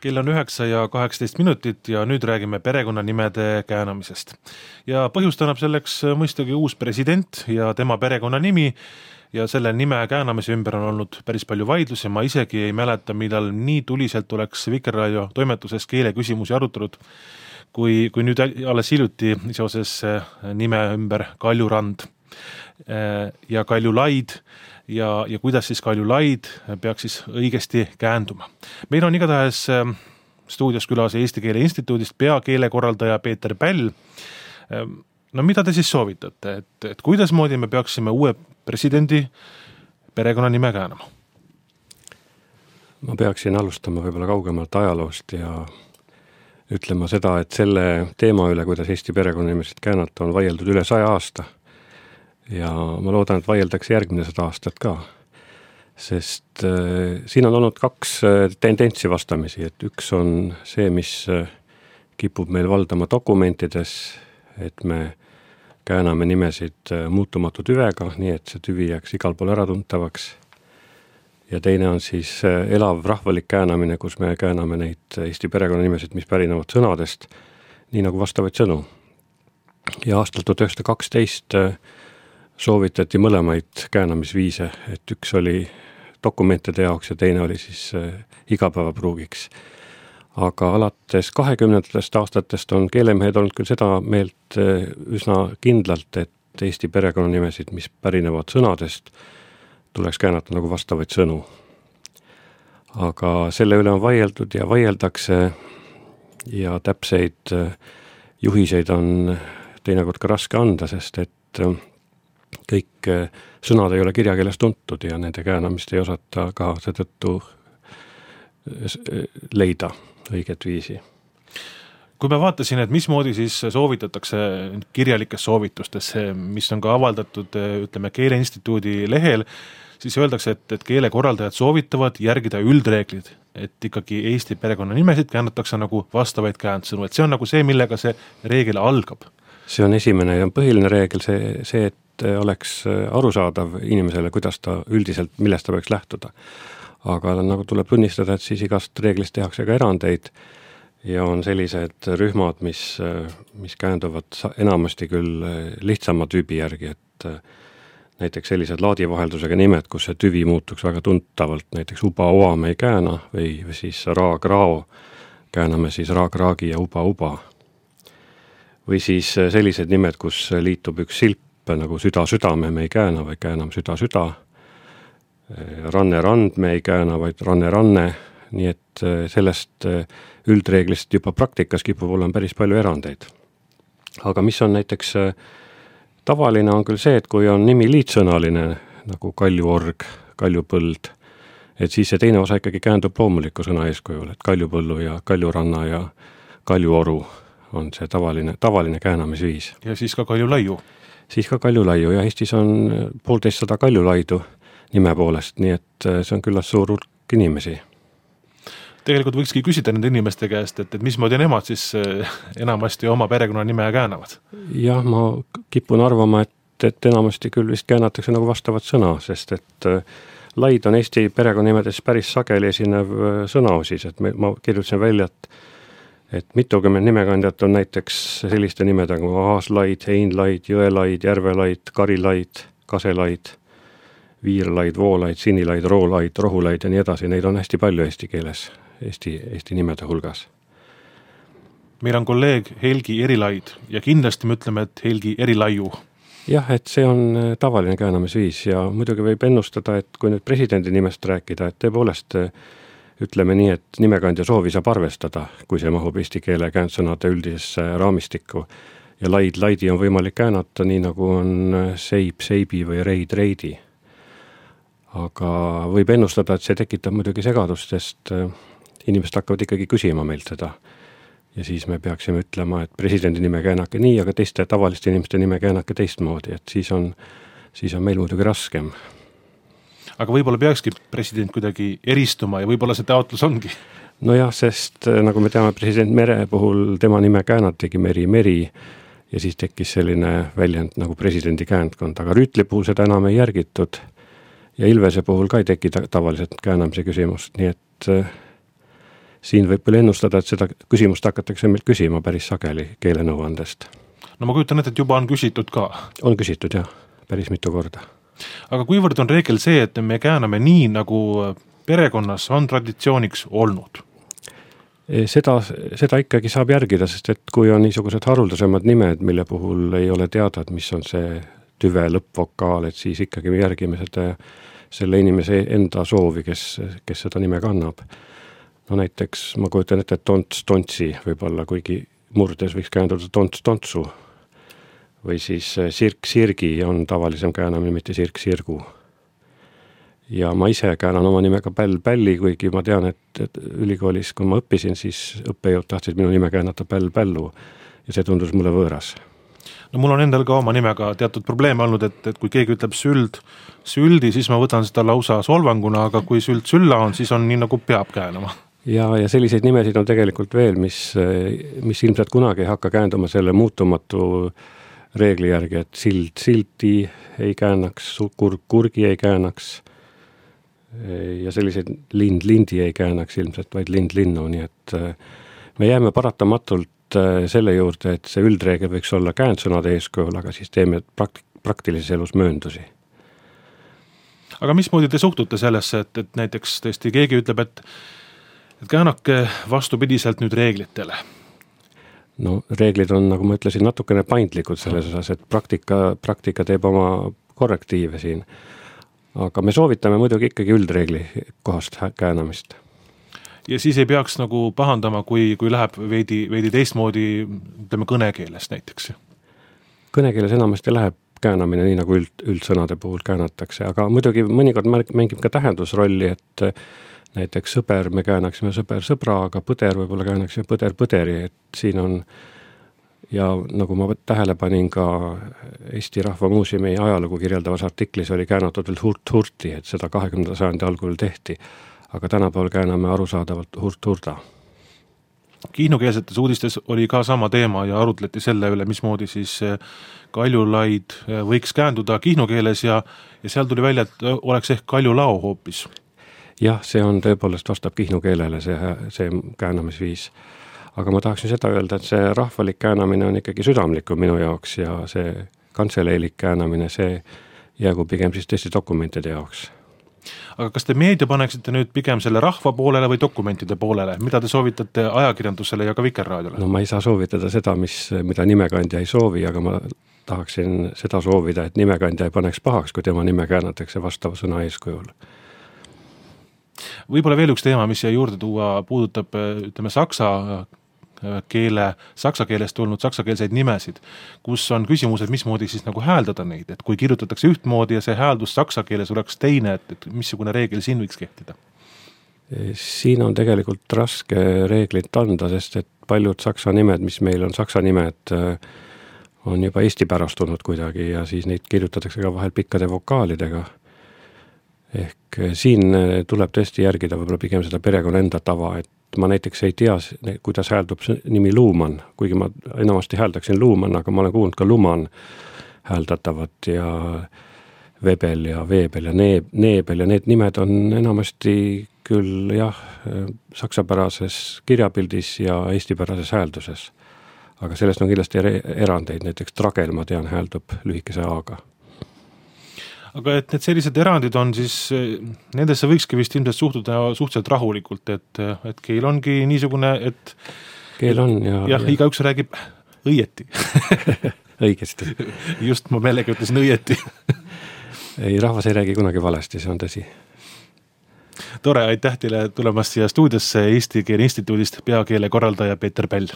Kell on 9:18 ja nüüd räägime perekonnanimede käänamisest. Ja põhjust annab selleks mõistagi uus president ja tema perekonnanimi ja selle nime käänamise ümber on olnud päris palju vaidlusi. Ma isegi ei mäleta, millal nii tuliselt oleks Vikerraadio toimetuses keeleküsimusi arutanud, kui nüüd alles hiljuti seoses nime ümber Kaljurand ja Kaljulaid ja kuidas siis Kaljulaid peaks siis õigesti käänduma. Meil on igatahes stuudios külas Eesti Keele Instituudist peakeelekorraldaja Peeter Päll. No mida te siis soovitate, et kuidas moodi me peaksime uue presidendi perekonnanime käänama? Ma peaksin alustama võib-olla kaugemalt ajaloost ja ütlema seda, et selle teema üle, kuidas Eesti perekonnanimesid käänata, on vaieldud üle 100 aasta. Ja ma loodan, et vaieldakse järgmine 100 aastat ka, sest siin on olnud 2 tendentsi vastamisi, et üks on see, mis kipub meil valdama dokumentides, et me kääname nimesid muutumatu tüvega, nii et see tüvi jääks igal pool äratuntavaks. Ja teine on siis elav rahvalik käänamine, kus me kääname neid Eesti perekonnanimesid, mis pärinevad sõnadest, nii nagu vastavaid sõnu. Ja aastal 1912 soovitati mõlemaid käänamisviise, et üks oli dokumentide jaoks ja teine oli siis igapäevapruugiks. Aga alates 20. aastatest on keelemehed olnud küll seda meelt üsna kindlalt, et Eesti perekonnanimesid, mis pärinevad sõnadest, tuleks käänata nagu vastavaid sõnu. Aga selle üle on vaieldud ja vaieldakse ja täpseid juhiseid on teinekord ka raske anda, sest et kõik sõnad ei ole kirjakeeles tuntud ja nende käänamist ei osata ka seetõttu leida õiget viisi. Kui ma vaatasin, et mismoodi siis soovitatakse kirjalikes soovitustes, mis on ka avaldatud, ütleme, Keele Instituudi lehel, siis öeldakse, et keelekorraldajad soovitavad järgida üldreeglid, et ikkagi Eesti perekonnanimesid käännatakse nagu vastavaid käändsõnu, et see on nagu see, millega see reegel algab. See on esimene ja põhiline reegel, see, et oleks arusaadav inimesele, kuidas ta üldiselt, millest ta võiks lähtuda. Aga nagu tuleb tunnistada, et siis igast reeglist tehakse ka erandeid ja on sellised rühmad, mis käänduvad enamasti küll lihtsama tüübi järgi, et näiteks sellised laadivaheldusega nimed, kus see tüvi muutuks väga tuntavalt, näiteks uba-oa me ei kääna või siis raag-rao kääname siis raag-raagi ja uba-uba. Või siis sellised nimed, kus liitub üks silp nagu süda-südame me ei kääna, vaid kääname süda-süda. Ranne-rand me ei kääna, vaid ranne-ranne. Nii et sellest üldreeglist juba praktikas kipub olema päris palju erandeid. Aga mis on näiteks tavaline on küll see, et kui on nimi liitsõnaline nagu kaljuorg, kaljupõld, et siis see teine osa ikkagi käändub loomuliku sõna eeskujul, et kaljupõllu ja kaljuranna ja kaljuoru on see tavaline käänamisviis. Ja siis ka kaljulaiu. Siis ka kaljulaiu ja Eestis on 150 kaljulaidu nime poolest, nii et see on küllalt suur hulk inimesi. Tegelikult võikski küsida nende inimeste käest, et mismoodi nemad siis enamasti oma perekonnanime käänavad? Jah, ma kipun arvama, et enamasti küll vist käänatakse nagu vastavat sõna, sest et laid on Eesti perekonnanimedes päris sageli esinev sõnaosis, et ma kirjutasin välja, et mitukümmend nimekandjat on näiteks selliste nimedega nagu aaslaid, heinlaid, jõelaid, järvelaid, karilaid, kaselaid, viirlaid, voolaid, sinilaid, roolaid, rohulaid ja nii edasi. Neid on hästi palju eesti keeles, Eesti nimede hulgas. Meil on kolleeg Helgi Erilaid ja kindlasti me ütleme, et Helgi Erilaiu. Jah, et see on tavaline käänamisviis ja muidugi võib ennustada, et kui nüüd presidendi nimest rääkida, et tõepoolest ütleme nii, et nimekandja soovi saab arvestada, kui see mahub eesti keele käändsõnade üldisesse raamistikku. Ja laidi on võimalik käänata nii nagu on seib, seibi või reid, reidi. Aga võib ennustada, et see tekitab muidugi segadust, sest inimesed hakkavad ikkagi küsima meilt seda. Ja siis me peaksime ütlema, et presidendi nime käänake nii, aga teiste tavaliste inimeste nime käänake teistmoodi, et siis on meil muidugi raskem. Aga võib-olla peakski president kuidagi eristuma ja võib-olla see taotlus ongi? No jah, sest nagu me teame, president Mere puhul tema nime käänatigi Meri ja siis tekkis selline väljend nagu presidendi käändkond, aga Rüütli puhul seda enam ei järgitud ja Ilvese puhul ka ei teki tavaliselt käänamise küsimust, nii et siin võib küll ennustada, et seda küsimust hakatakse meilt küsima päris sageli keelenõuandest. No ma kujutan ette, et juba on küsitud ka. On küsitud jah, päris mitu korda. Aga kuivõrd on reegel see, et me kääname nii, nagu perekonnas on traditsiooniks olnud? Seda ikkagi saab järgida, sest et kui on niisugused haruldasemad nimed, mille puhul ei ole teada, et mis on see tüve lõppvokaal, et siis ikkagi me järgime selle inimese enda soovi, kes seda nime kannab. No näiteks ma kujutan ette, et tonts tontsi võib-olla, kuigi murdes võiks käänduda tonts tontsu. Või siis sirk sirgi on tavalisem käänamine, mitte sirk sirgu. Ja ma ise käänan oma nimega Päll Pälli, kuigi ma tean, et ülikoolis, kui ma õppisin, siis õppejõud tahtsid minu nime käänata Päll Pällu ja see tundus mulle võõras. No mul on endal ka oma nimega teatud probleeme olnud, et kui keegi ütleb süldi, siis ma võtan seda lausa solvanguna, aga kui sülla on, siis on nii nagu peab käänama. Ja selliseid nimesid on tegelikult veel, mis ilmselt kunagi ei hakka käänduma selle muutumatu reegli järgi, et silti ei käänaks, kurgi ei käänaks ja selliseid lindi ei käänaks ilmselt, vaid linnu, nii et me jääme paratamatult selle juurde, et see üldreegel võiks olla käändsõnade eeskujul, aga siis teeme praktilises elus mööndusi. Aga mismoodi te suhtute sellesse, et näiteks tõesti keegi ütleb, et käänake vastupidiselt nüüd reeglitele? No reeglid on, nagu ma ütlesin, natukene paindlikud selles osas, et praktika teeb oma korrektiive siin. Aga me soovitame muidugi ikkagi üldreegli kohast käänamist. Ja siis ei peaks nagu pahandama, kui läheb veidi teistmoodi, ütleme kõnekeeles näiteks? Kõnekeeles enamasti läheb käänamine nii, nagu üldsõnade puhul käänatakse, aga muidugi mõnikord mängib ka tähendusrolli, et näiteks sõber me käänaksime sõber sõbra, aga põder võib-olla käänaksime põder põderi, et siin on, ja nagu ma tähele panin ka Eesti Rahva Muuseumi ajalugu kirjeldavas artiklis oli käänatud veel hurt-hurti, et seda 20. sajandi algul tehti, aga tänapäeval kääname arusaadavalt hurt-hurda. Kihnukeelsetes uudistes oli ka sama teema ja arutleti selle üle, mismoodi siis Kaljulaid võiks käänduda kihnukeeles ja seal tuli välja, et oleks ehk Kaljulao hoopis. Jah, see on tõepoolest vastab kihnukeelele see käänamisviis. Aga ma tahaksin seda öelda, et see rahvalik käänamine on ikkagi südamlikum minu jaoks ja see kantseleilik käänamine, see jäägu pigem siis tõesti dokumentide jaoks. Aga kas te meedia paneksite nüüd pigem selle rahva poolele või dokumentide poolele? Mida te soovitate ajakirjandusele ja ka Vikerraadiole? No ma ei saa soovitada seda, mida nimekandja ei soovi, aga ma tahaksin seda soovida, et nimekandja ei paneks pahaks, kui tema nime käänatakse vastava sõna eeskujul. Võib-olla veel üks teema, mis siia juurde tuua, puudutab, ütleme, saksa keelest tulnud saksakeelseid nimesid, kus on küsimused, mismoodi siis nagu hääldada neid, et kui kirjutatakse ühtmoodi ja see hääldus saksa keeles oleks teine, et missugune reegel siin võiks kehtida? Siin on tegelikult raske reeglit anda, sest et paljud saksa nimed, mis meil on saksa nimed, on juba eesti pärastunud kuidagi ja siis neid kirjutatakse ka vahel pikkade vokaalidega. Ehk siin tuleb tõesti järgida võib-olla pigem seda perekonna enda tava, et ma näiteks ei tea, kuidas hääldub nimi Luuman, kuigi ma enamasti hääldaksin Luuman, aga ma olen kuulnud ka Luman hääldatavat ja Vebel ja Veebel ja Neebel ja need nimed on enamasti küll jah, saksapärases kirjapildis ja eestipärases häälduses. Aga sellest on kindlasti erandeid, näiteks Tragel, ma tean, hääldub lühikese A-ga. Aga et need sellised erandid on siis, nendesse võikski vist ilmselt suhtuda suhteliselt rahulikult, et keel ongi niisugune, et keel on ja igaüks räägib õieti. Õigesti. Just ma meelega ütlesin õieti. Ei, rahvas ei räägi kunagi valesti, see on tõsi. Tore, aitäh teile tulemast siia stuudiosse Eesti Keele Instituudist peakeele korraldaja Peeter Päll.